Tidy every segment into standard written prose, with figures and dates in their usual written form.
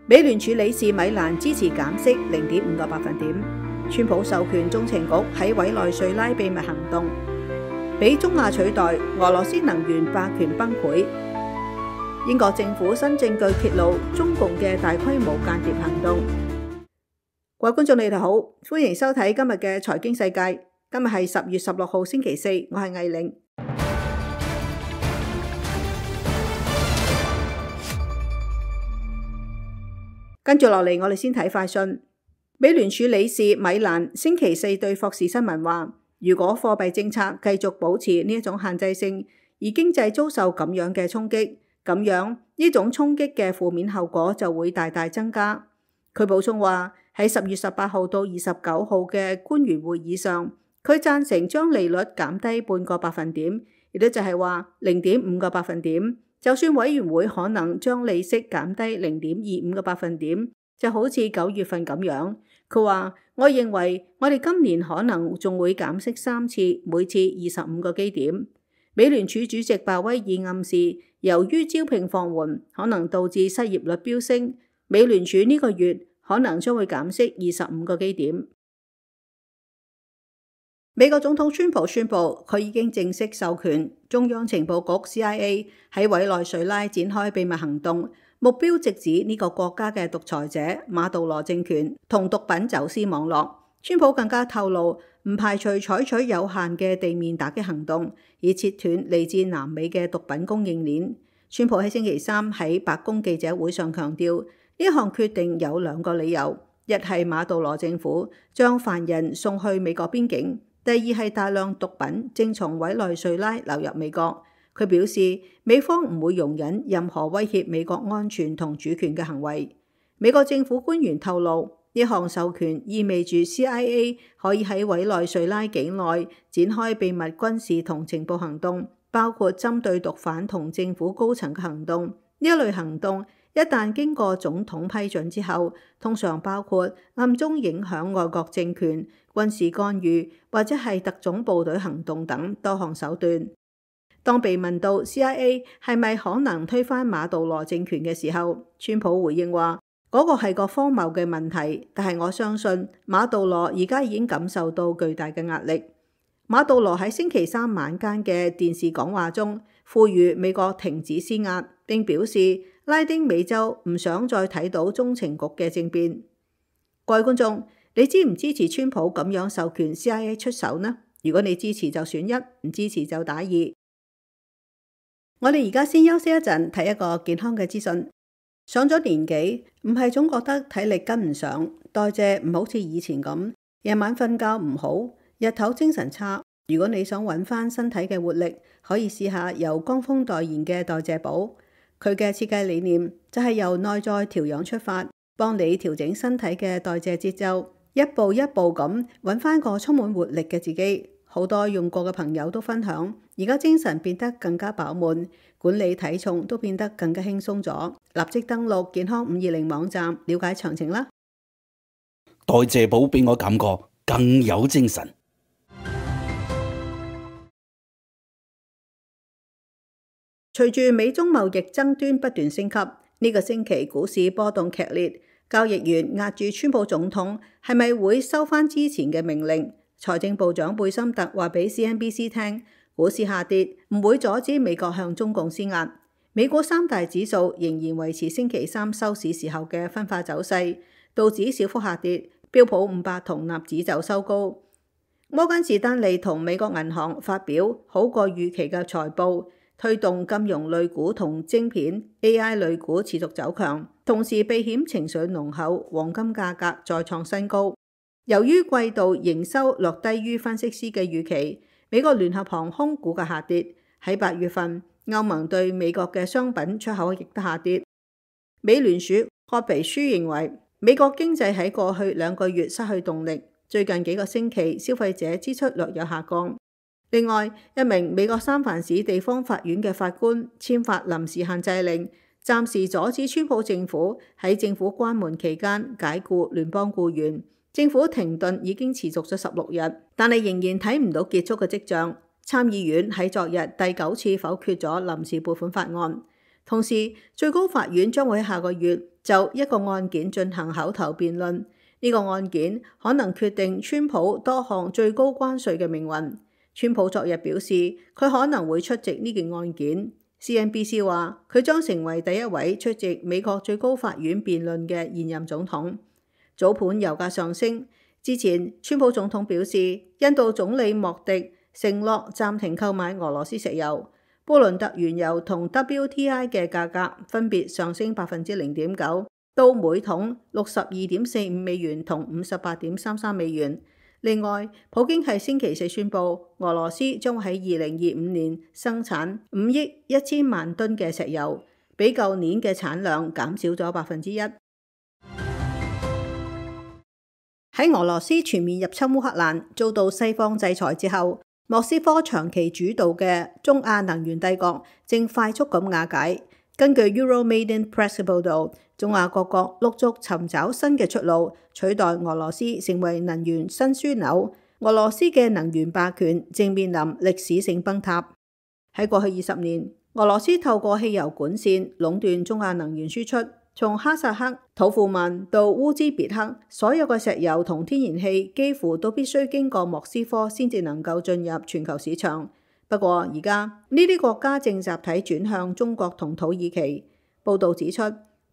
美聯儲理事米蘭支持減息0.5個百分點。川普授權中情局喺委內瑞拉秘密行動，俾中亞取代，俄羅斯能源霸權崩潰。英國政府新證據揭露中共嘅大規模間諜行動。各位觀眾，你哋好，歡迎收睇今日嘅財經世界。今日係10月16號星期四，我係魏玲。跟住落嚟，我哋先睇快訊。美聯儲理事米蘭星期四對霍士新聞話，如果貨幣政策繼續保持呢一種限制性，而經濟遭受咁樣嘅衝擊，咁樣呢種衝擊嘅負面後果就會大大增加。佢補充話，喺10月18號到29號嘅官員會議上，佢贊成將利率減低半個百分點，亦都就係話0.5個百分點。就算委員會可能將利息減低0.25個百分點，就好似9月份咁樣。佢話：我認為我哋今年可能仲會減息3次，每次25個基點。美聯儲主席鮑威爾暗示，由於招聘放緩，可能導致失業率飆升，美聯儲呢個月可能將會減息25個基點。美國總統川普宣布，佢已經正式授權中央情報局 CIA 喺委內瑞拉展開秘密行動，目標直指呢個國家嘅獨裁者馬杜羅政權同毒品走私網絡。川普更加透露，唔排除採取有限嘅地面打擊行動，以切斷嚟自南美嘅毒品供應鏈。川普喺星期三喺白宮記者會上強調，呢項決定有2個理由：一係馬杜羅政府將犯人送去美國邊境。第二係大量毒品正從委內瑞拉流入美國。佢表示，美方唔會容忍任何威脅美國安全同主權嘅行為。美國政府官員透露，呢項授權意味住 CIA 可以喺委內瑞拉境內展開秘密軍事同情報行動，包括針對毒販同政府高層嘅行動。呢一類行動一旦經過總統批准之後，通常包括暗中影響外國政權、軍事干預或者係特種部隊行動等多項手段。當被問到 CIA 係咪可能推翻馬杜羅政權嘅時候，川普回應話：嗰個係個荒謬嘅問題，但係我相信馬杜羅而家已經感受到巨大嘅壓力。馬杜羅喺星期三晚間嘅電視講話中，呼籲美國停止施壓，並表示拉丁美洲唔想再睇到中情局嘅政變。各位觀眾，你支唔支持川普咁樣授權 CIA 出手呢？如果你支持就選1，唔支持就打2。我哋而家先休息一陣，睇一個健康嘅資訊。上咗年紀，唔係總覺得體力跟唔上，代謝唔好似以前咁，夜晚瞓覺唔好，日頭精神差。如果你想揾翻身體嘅活力，可以試下由江峰代言嘅代謝寶。佢嘅設計理念就係由內在調養出發，幫你調整身體嘅代謝節奏，一步一步咁揾翻個充滿活力嘅自己。好多用過嘅朋友都分享，而家精神變得更加飽滿，管理體重都變得更加輕鬆咗。立即登錄健康520網站了解詳情啦。代謝寶俾我感覺更有精神。隨住美中貿易爭端不斷升級，呢個星期股市波動劇烈，交易員壓住川普總統係咪會收翻之前嘅命令。財政部長貝森特話俾 CNBC 聽，股市下跌唔會阻止美國向中共施壓。美股3大指數仍然維持星期三收市時候嘅分化走勢，道指小幅下跌，標普500同納指就收高。摩根士丹利同美國銀行發表好過預期嘅財報，推動金融類股同晶片 AI 類股持續走強，同時避險情緒濃厚，黃金價格再創新高。由於季度營收略低於分析師嘅預期，美國聯合航空股價下跌。喺8月份，歐盟對美國嘅商品出口亦都下跌。美聯儲褐皮書認為，美國經濟喺過去2個月失去動力，最近幾個星期消費者支出略有下降。另外，一名美國三藩市地方法院嘅法官簽發臨時限制令，暫時阻止川普政府喺政府關門期間解僱聯邦僱員。政府停頓已經持續咗16日，但係仍然睇唔到結束嘅跡象。參議院喺昨日第9次否決咗臨時撥款法案。同時，最高法院將會喺下個月就一個案件進行口頭辯論。呢個案件可能決定川普多項最高關稅嘅命運。川普昨日表示，佢可能會出席呢件案件。CNBC 話，佢將成為第一位出席美國最高法院辯論嘅現任總統。早盤油價上升之前，川普總統表示，印度總理莫迪承諾暫停購買俄羅斯石油。布倫特原油同 WTI 嘅價格分別上升0.9%到每桶62.45美元同58.33美元。另外，普京喺星期四宣布，俄羅斯將會喺2025年生產5億1000萬噸嘅石油，比舊年嘅產量減少咗1%。喺俄羅斯全面入侵烏克蘭，遭到西方制裁之後，莫斯科長期主導嘅中亞能源帝國正快速咁瓦解。根據 Euromaidan Press 嘅報導，中亞各國陸續尋找新嘅出路，取代俄羅斯成為能源新樞紐。俄羅斯嘅能源霸權正面臨歷史性崩塌。喺過去20年，俄羅斯透過汽油管線壟斷中亞能源輸出，從哈薩克、土庫曼到烏茲別克，所有嘅石油同天然氣幾乎都必須經過莫斯科先至能夠進入全球市場。不過而家呢啲國家正集體轉向中國同土耳其。報導指出，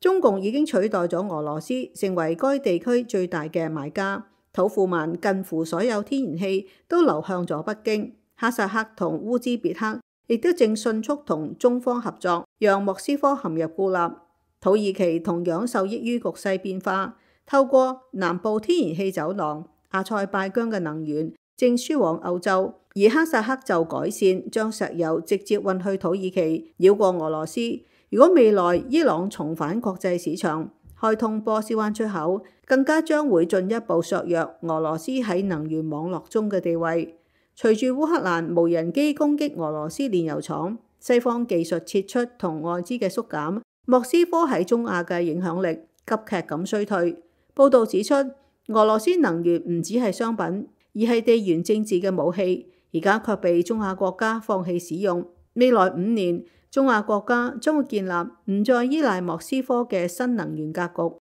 中共已經取代咗俄羅斯成為該地區最大嘅買家。土庫曼近乎所有天然氣都流向咗北京。哈薩克同烏茲別克亦都正迅速同中方合作，讓莫斯科陷入孤立。土耳其同樣受益於局勢變化，透過南部天然氣走廊，阿塞拜疆嘅能源正輸往歐洲，而哈薩克就改善將石油直接運去土耳其，繞過俄羅斯。如果未來伊朗重返國際市場，開通波斯灣出口，更加將會進一步削弱俄羅斯喺能源網絡中嘅地位。隨住烏克蘭無人機攻擊俄羅斯煉油廠，西方技術撤出同外資嘅縮減，莫斯科喺中亞嘅影響力急劇咁衰退。報導指出，俄羅斯能源唔只係商品，而係地緣政治嘅武器，而家卻被中亞國家放棄使用。未來5年，中亞國家將會建立唔再依賴莫斯科嘅新能源格局。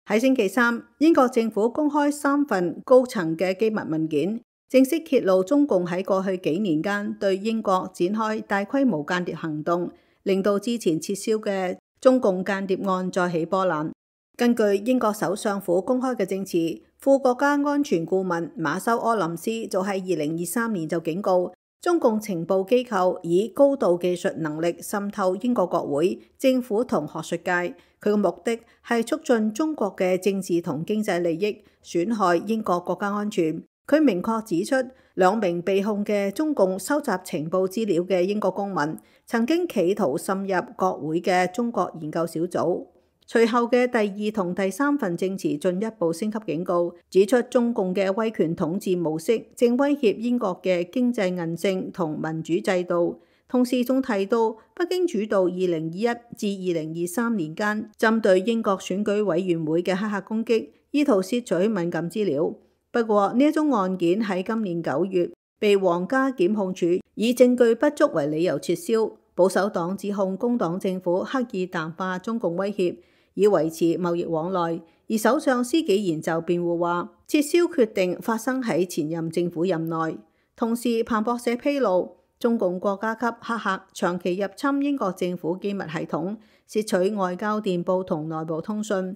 喺星期三，英國政府公開3份高層嘅機密文件，正式揭露中共喺過去幾年間對英國展開大規模間諜行動，令到之前撤銷嘅中共間諜案再起波瀾。根據英國首相府公開嘅證詞，副國家安全顧問馬修柯林斯早喺2023年就警告，中共情報機構以高度技術能力滲透英國國會、政府同學術界，佢嘅目的係促進中國嘅政治同經濟利益，損害英國國家安全。佢明確指出，2名被控嘅中共收集情報資料嘅英國公民，曾經企圖滲入國會嘅中國研究小組。隨後嘅第2同第3份證詞進一步升級警告，指出中共嘅威權統治模式正威脅英國嘅經濟韌性同民主制度。同時仲提到，北京主導2021至2023年間針對英國選舉委員會嘅黑客攻擊，意圖竊取敏感資料。不過呢一宗案件喺今年9月被皇家檢控處以證據不足為理由撤銷。保守黨指控工黨政府刻意淡化中共威脅，以維持貿易往來，而首相施紀賢就辯護話，撤銷決定發生喺前任政府任內。同時，彭博社披露，中共國家級黑客長期入侵英國政府機密系統，竊取外交電報同內部通訊。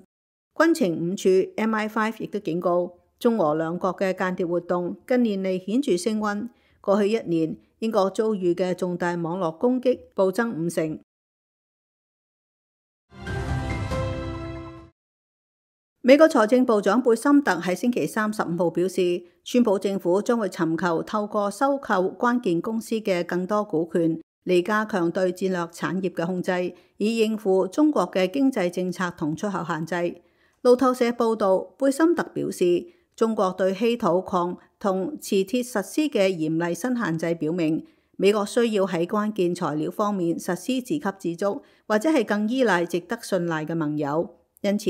軍情五處 MI5 亦都警告，中俄兩國嘅間諜活動近年嚟顯著升溫。過去1年，英國遭遇嘅重大網絡攻擊暴增5成。美國財政部長貝森特喺星期三15號表示，川普政府將會尋求透過收購關鍵公司嘅更多股權，嚟加強對戰略產業嘅控制，以應付中國嘅經濟政策同出口限制。路透社報道，貝森特表示，中國對稀土礦同磁鐵實施嘅嚴厲新限制，表明美國需要喺關鍵材料方面實施自給自足，或者係更依賴值得信賴嘅盟友。因此，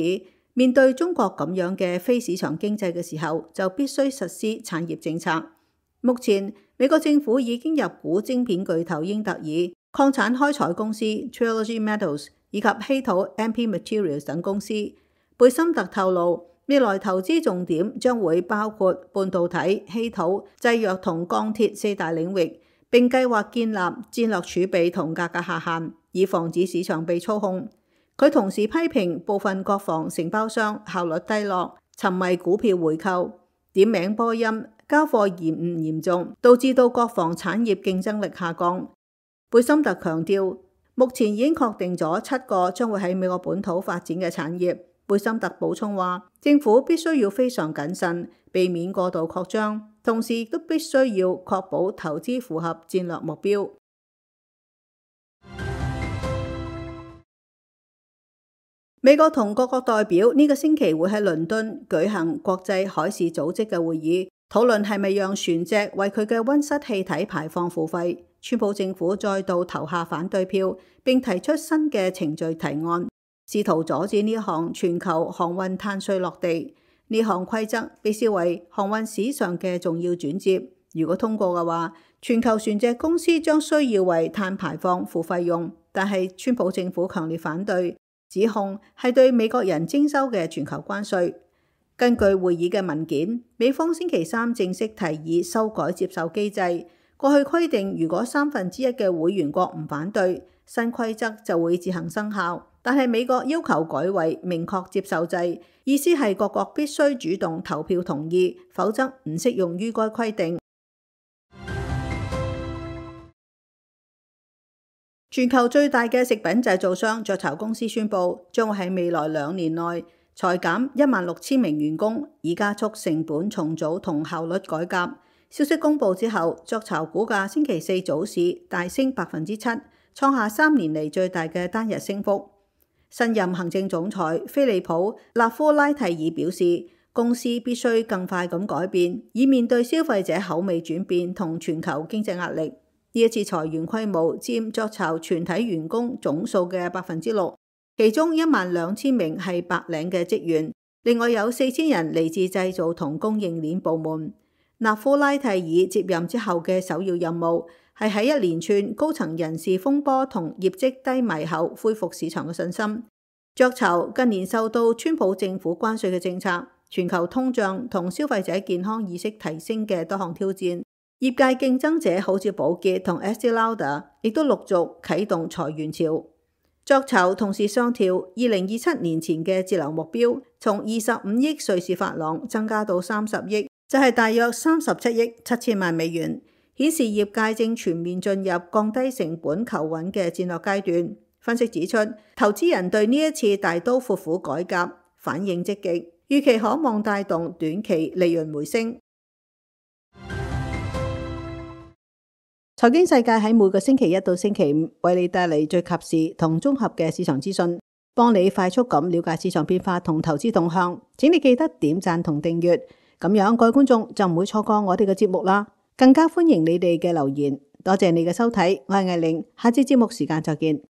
面對中國咁樣嘅非市場經濟嘅時候，就必須實施產業政策。目前美國政府已經入股晶片巨頭英特爾、礦產開採公司 Trilogy Metals 以及稀土 MP Materials 等公司。貝森特透露，未來投資重點將會包括半導體、稀土、製藥同鋼鐵四大領域，並計劃建立戰略儲備同價格下限，以防止市場被操控。佢同時批評部分國防承包商效率低落，沉迷股票回購，點名波音交貨延誤嚴重，導致到國防產業競爭力下降。貝森特強調，目前已經確定咗7個將會喺美國本土發展嘅產業。貝森特補充話，政府必須要非常謹慎，避免過度擴張，同時亦都必須要確保投資符合戰略目標。美國同各國代表呢個星期會喺倫敦舉行國際海事組織嘅會議，討論係咪讓船隻為佢嘅溫室氣體排放付費。川普政府再度投下反對票，並提出新嘅程序提案，試圖阻止呢項全球航運碳稅落地。呢項規則被視為航運史上嘅重要轉折。如果通過嘅話，全球船隻公司將需要為碳排放付費用，但係川普政府強烈反對，指控係對美國人徵收嘅全球關稅。根據會議嘅文件，美方星期三正式提議修改接受機制。過去規定，如果1/3嘅會員國唔反對，新規則就會自行生效。但係美國要求改為明確接受制，意思係各國必須主動投票同意，否則唔適用於該規定。全球最大嘅食品製造商雀巢公司宣布，將會喺未來2年內裁減16,000名員工，以加速成本重組同效率改革。消息公布之後，雀巢股價星期四早市大升7%，創下3年嚟最大嘅單日升幅。新任行政總裁菲利普·納夫拉蒂爾表示，公司必須更快咁改變，以面對消費者口味轉變同全球經濟壓力。呢一次裁員規模佔雀巢全體員工總數嘅6%，其中12,000名係白領嘅職員，另外有4,000人嚟自製造同供應鏈部門。納夫拉蒂爾接任之後嘅首要任務係喺一連串高層人事風波同業績低迷後恢復市場嘅信心。雀巢近年受到川普政府關稅嘅政策、全球通脹同消費者健康意識提升嘅多項挑戰，業界競爭者好似寶潔同 Estée Lauder 亦都陸續啟動裁員潮。雀巢同時上調2027年前嘅節流目標，從25億瑞士法郎增加到30億，就係大約37億7千萬美元，顯示業界正全面進入降低成本求穩嘅戰略階段。分析指出，投資人對呢一次大刀闊斧改革反應積極，預期可望帶動短期利潤回升。財經世界喺每個星期1到星期5為你帶嚟最及時同綜合嘅市場資訊，幫你快速咁了解市場變化同投資動向。請你記得點讚同訂閱，咁樣各位觀眾就唔會錯過我哋嘅節目啦。更加歡迎你哋嘅留言。多謝你嘅收睇，我係艾玲，下次節目時間再見。